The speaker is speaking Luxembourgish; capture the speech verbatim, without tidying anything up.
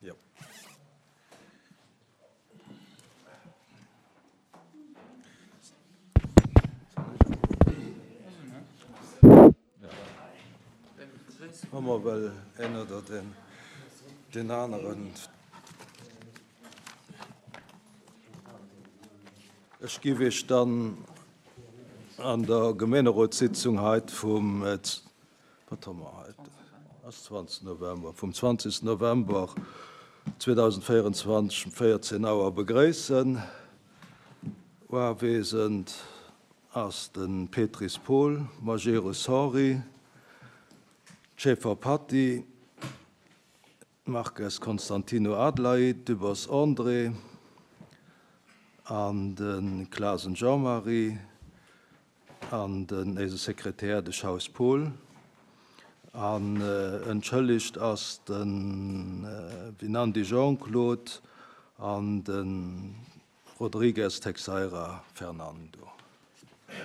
Jo. Hu mer well een oder den, den aneren. Ech giff Iech dann an der Gemeenerotssitzung heit vum, wat hu mer heit, ass zwanzeg November, vum zwanzig November zweedausendvéierenzwanzeg um véierzehn Auer begréissen. Uawesend ass de Petris Paul, Majerus Henri, Schaeffer Patty, Marques Constantino Adelaide, Dübbers André an de Clasen Jean-Marie an den eise Sekretär, de Schaus Paul. An entschëllegt ass de Winandy Jean-Claude an de Rodrigues Teixeira Fernando.